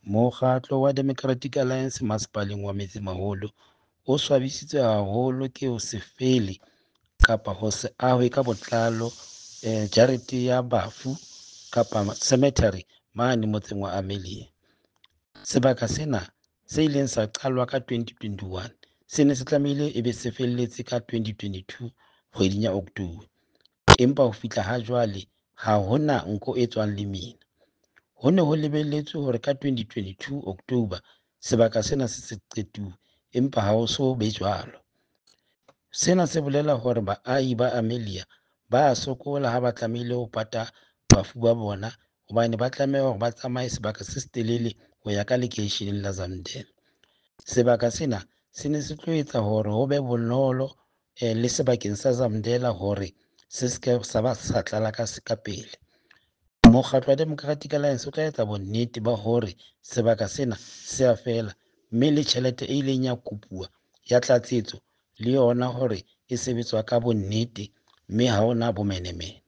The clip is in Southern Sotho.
Mokgatlo wa Democratic Alliance masepaleng wa Metsemaholo o swabisitswe haholo ke ho se fele kapa ho se ahwe ka botlalo jarete ya bafu kapa cemetery mane motseng wa Amelia. Sebaka sena se ileng sa qalwa ka 2021 se ne se tlamehile e be se felletse ka 2022 kgweding ya October, empa ho fihla ha jwale ha hona nko e tswang lemina. Ho ne ho lebelletswe hore ka 2022 October sebaka sena se se qetuwe, empa ha ho so be jwalo. Sena se bolela hore baahi ba Amelia ba a sokola ha ba tlamehile ho pata bafu ba bona, hobane ba tlameha hore ba tsamaye sebaka se setelele ho ya ka lekeisheneng la Zamdela. Sebaka sena se ne se tlo etsa hore ho be bonolo le sebakeng sa Zamdela hore se seke sa ba sa tlala ka pele. Mokgatlo wa Democratic Alliance o tla etsa bonnete ba hore sebaka sena se a fela, mme le tjhelete e ileng ya kopuwa ya tlatsetso le yona hore e sebetswa ka bonnete, mme ha hona bomenemene.